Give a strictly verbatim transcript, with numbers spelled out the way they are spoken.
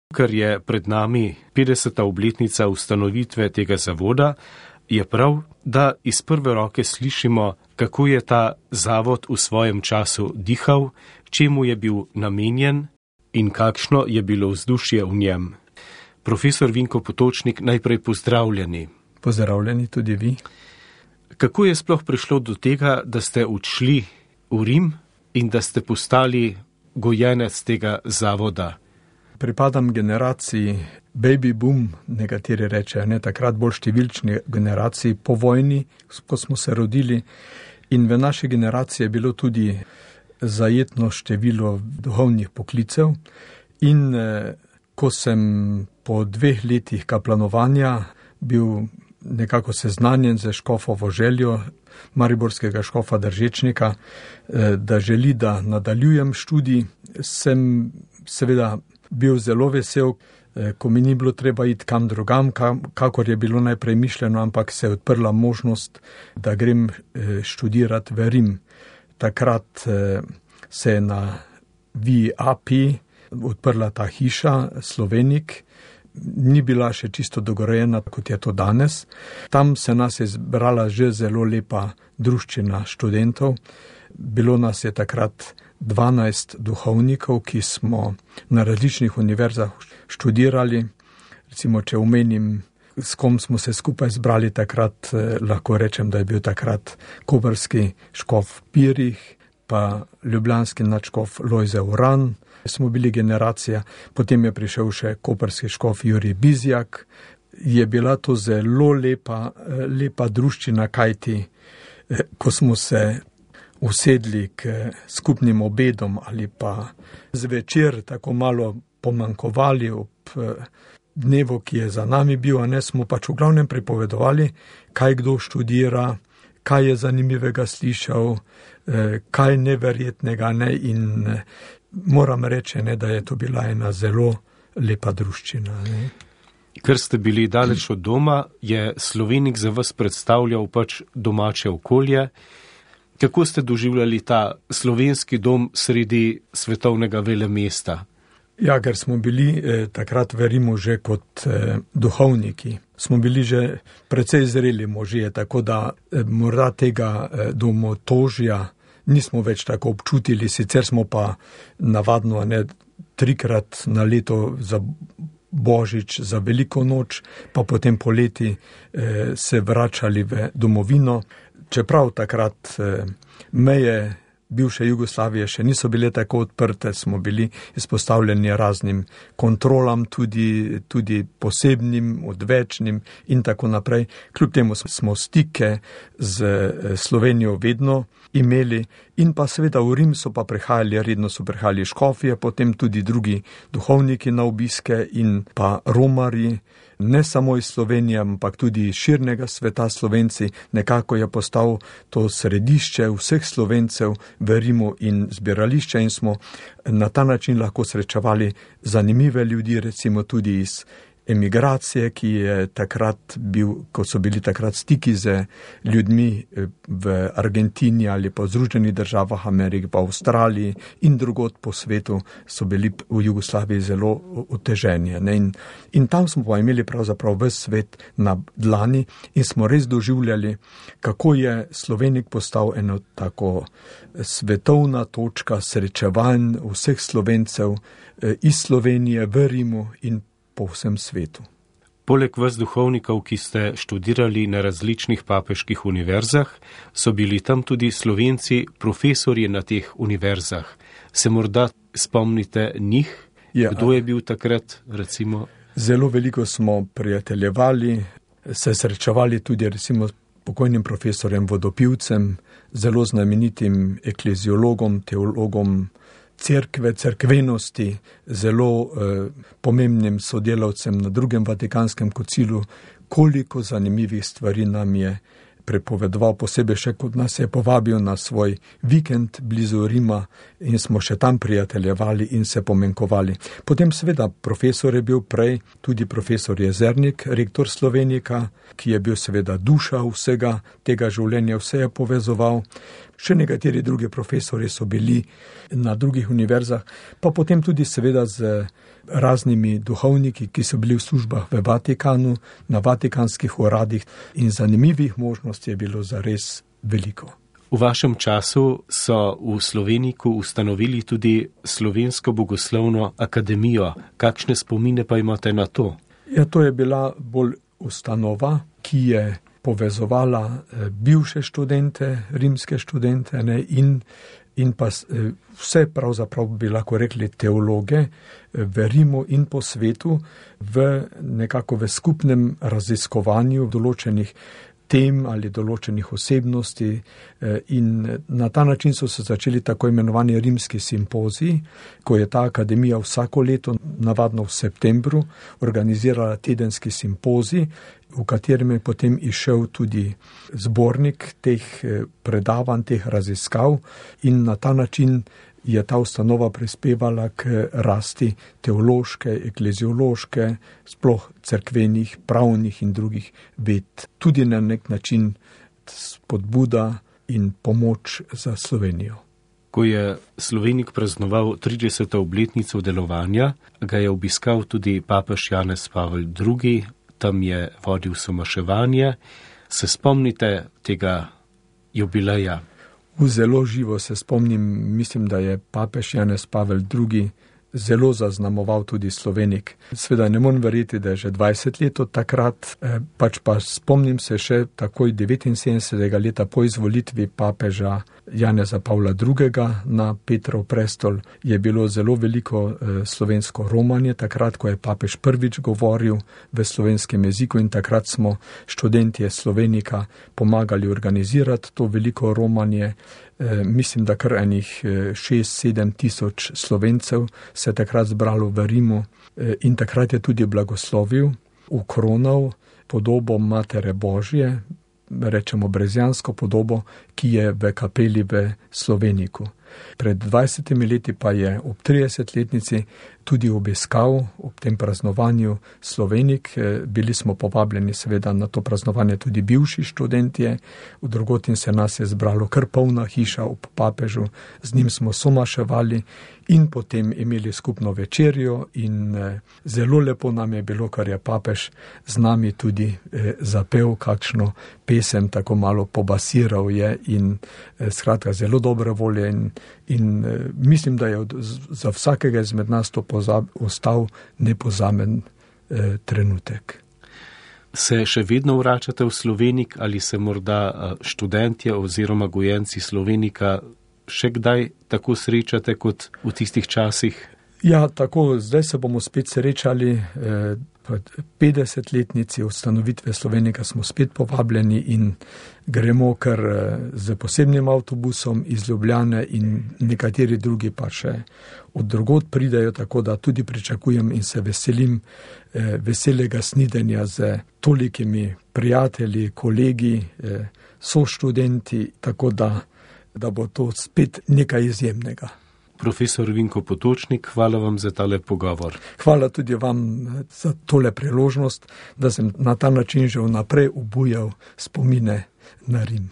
Ker je pred nami petdeseta obletnica ustanovitve tega zavoda, je prav, da iz prve roke slišimo, kako je ta zavod v svojem času dihal, čemu je bil namenjen in kakšno je bilo vzdušje v njem. Profesor Vinko Potočnik, najprej pozdravljeni. Pozdravljeni tudi vi. Kako je sploh prišlo do tega, da ste odšli v Rim in da ste postali gojenec tega zavoda? Pripadam generaciji baby boom, nekateri rečejo, ne takrat bolj številčni generaciji po vojni, ko smo se rodili, in v naši generaciji je bilo tudi zajetno število duhovnih poklicev. In eh, ko sem po dveh letih kaplanovanja bil nekako seznanjen z škofovo željo mariborskega škofa Držečnika, eh, da želi, da nadaljujem študij, sem seveda bil zelo vesel, ko mi ni bilo treba iti kam drugam, kakor je bilo najprej mišljeno, ampak se je odprla možnost, da grem študirati v Rim. Takrat se je na V I A P odprla ta hiša Slovenik, ni bila še čisto dogorejena, kot je to danes. Tam se nas je zbrala že zelo lepa druščina študentov. Bilo nas je takrat dvanajst duhovnikov, ki smo na različnih univerzah študirali. Recimo, če omenim, s kom smo se skupaj zbrali takrat, eh, lahko rečem, da je bil takrat koprski škof Pirih, pa ljubljanski nadškof Lojze Uran, smo bili generacija, potem je prišel še koprski škof Jurij Bizjak. Je bila to zelo lepa, lepa druščina, kajti eh, ko smo se usedli k skupnim obedom ali pa zvečer tako malo pomanjkovali ob dnevu, ki je za nami bil, a ne, smo pač v glavnem pripovedovali, kaj kdo študira, kaj je zanimivega slišal, kaj neverjetnega, ne, in moram reči, ne, da je to bila ena zelo lepa druščina, ne. Ker ste bili daleč od doma, je Slovenik za vas predstavljal pač domače okolje. Kako ste doživljali ta slovenski dom sredi svetovnega velemesta? Ja, ker smo bili eh, takrat v Rimu že kot eh, duhovniki. Smo bili že precej zreli možje, tako da eh, morda tega eh, domotožja nismo več tako občutili, sicer smo pa navadno ne, trikrat na leto za Božič, za Veliko noč, pa potem poleti eh, se vračali v domovino. Čeprav takrat eh, meje bivše Jugoslavije še niso bile tako odprte, smo bili izpostavljeni raznim kontrolam, tudi, tudi posebnim, odvečnim in tako naprej. Kljub temu smo stike z Slovenijo vedno imeli in pa seveda v Rim so pa prihajali, redno so prihajali škofje, potem tudi drugi duhovniki na obiske in pa romarji, ne samo iz Slovenije, ampak tudi iz širnega sveta Slovenci. Nekako je postal to središče vseh Slovencev v Rimu in zbirališče in smo na ta način lahko srečevali zanimive ljudi, recimo tudi iz emigracije, ki je takrat bil, ko so bili takrat stiki z ljudmi v Argentini ali pa v Združenih državah Amerike, pa v Avstraliji in drugod po svetu so bili v Jugoslaviji zelo oteženi. In, in tam smo pa imeli pravzaprav ves svet na dlani in smo res doživljali, kako je Slovenik postal eno tako svetovna točka srečevanj vseh Slovencev iz Slovenije v Rimu in po vsem svetu. Poleg vas duhovnikov, ki ste študirali na različnih papeških univerzah, so bili tam tudi Slovenci, profesorji na teh univerzah. Se morda spomnite njih? Ja. Kdo je bil takrat, recimo? Zelo veliko smo prijateljevali, se srečevali tudi recimo s pokojnim profesorjem Vodopivcem, zelo znamenitim ekleziologom, teologom cerkve, cerkvenosti, zelo eh, pomembnim sodelavcem na drugem Vatikanskem koncilu, koliko zanimivih stvari nam je prepovedoval, posebej še kot nas je povabil na svoj vikend blizu Rima in smo še tam prijateljevali in se pomenkovali. Potem seveda profesor je bil prej, tudi profesor Jezernik, rektor Slovenika, ki je bil seveda duša vsega tega življenja, vse je povezoval. še nekateri drugi profesori so bili na drugih univerzah, pa potem tudi seveda z raznimi duhovniki, ki so bili v službah v Vatikanu, na vatikanskih uradih in zanimivih možnosti je bilo zares veliko. V vašem času so v Sloveniku ustanovili tudi Slovensko bogoslovno akademijo. Kakšne spomine pa imate na to? Ja, to je bila bolj ustanova, ki je povezovala bivše študente, rimske študente, ne, in, in pa vse pravzaprav bi lahko rekli teologe v Rimu in po svetu v nekako v skupnem raziskovanju določenih tem ali določenih osebnosti in na ta način so se začeli tako imenovani rimski simpoziji, ko je ta akademija vsako leto, navadno v septembru, organizirala tedenski simpozij, v katerem je potem išel tudi zbornik teh predavanj, teh raziskav in na ta način je ta ustanova prispevala k rasti teološke, ekleziološke, sploh cerkvenih, pravnih in drugih ved. Tudi na nek način spodbuda in pomoč za Slovenijo. Ko je Slovenik praznoval trideseto obletnico delovanja, ga je obiskal tudi papež Janez Pavel drugi, tam je vodil somaševanje. Se spomnite tega jubileja? V zelo živo se spomnim, mislim, da je papež Janez Pavel drugi zelo zaznamoval tudi Slovenik. Sveda ne morem verjeti, da je že dvajset let od takrat, pač pa spomnim se še takoj devetinsedemdesetega leta po izvolitvi papeža Janeza Pavla drugega na Petrov prestol je bilo zelo veliko slovensko romanje, takrat, ko je papež prvič govoril v slovenskem jeziku in takrat smo študentje Slovenika pomagali organizirati to veliko romanje. Mislim, da kar enih šest sedem tisoč Slovencev se je takrat zbralo v Rimu in takrat je tudi blagoslovil, ukronal podobo Matere Božje, rečemo brezjansko podobo, ki je v kapeli v Sloveniku. Pred dvajsetimi leti pa je ob tridesetletnici tudi obiskal ob tem praznovanju Slovenik. Bili smo povabljeni seveda na to praznovanje tudi bivši študentje, v drugotin se nas je zbralo kar polna hiša ob papežu, z njim smo somaševali in potem imeli skupno večerjo in zelo lepo nam je bilo, kar je papež z nami tudi zapel kakšno pesem, tako malo pobasiral je in skratka zelo dobre volje in In uh, mislim, da je od, za vsakega izmed nas to pozab, ostal nepozamen uh, trenutek. Se še vedno vračate v Slovenik ali se morda uh, študentje oziroma gojenci Slovenika še kdaj tako srečate kot v tistih časih? Ja, tako, zdaj se bomo spet srečali. Eh, petdesetletnici ustanovitve Slovenika smo spet povabljeni in gremo kar z posebnim avtobusom iz Ljubljane in nekateri drugi pa še od drugod pridejo, tako da tudi pričakujem in se veselim eh, veselega snidenja z tolikimi prijatelji, kolegi, eh, soštudenti, tako da, da bo to spet nekaj izjemnega. Profesor Vinko Potočnik, hvala vam za tale pogovor. Hvala tudi vam za tole priložnost, da sem na ta način že vnaprej obujal spomine na Rim.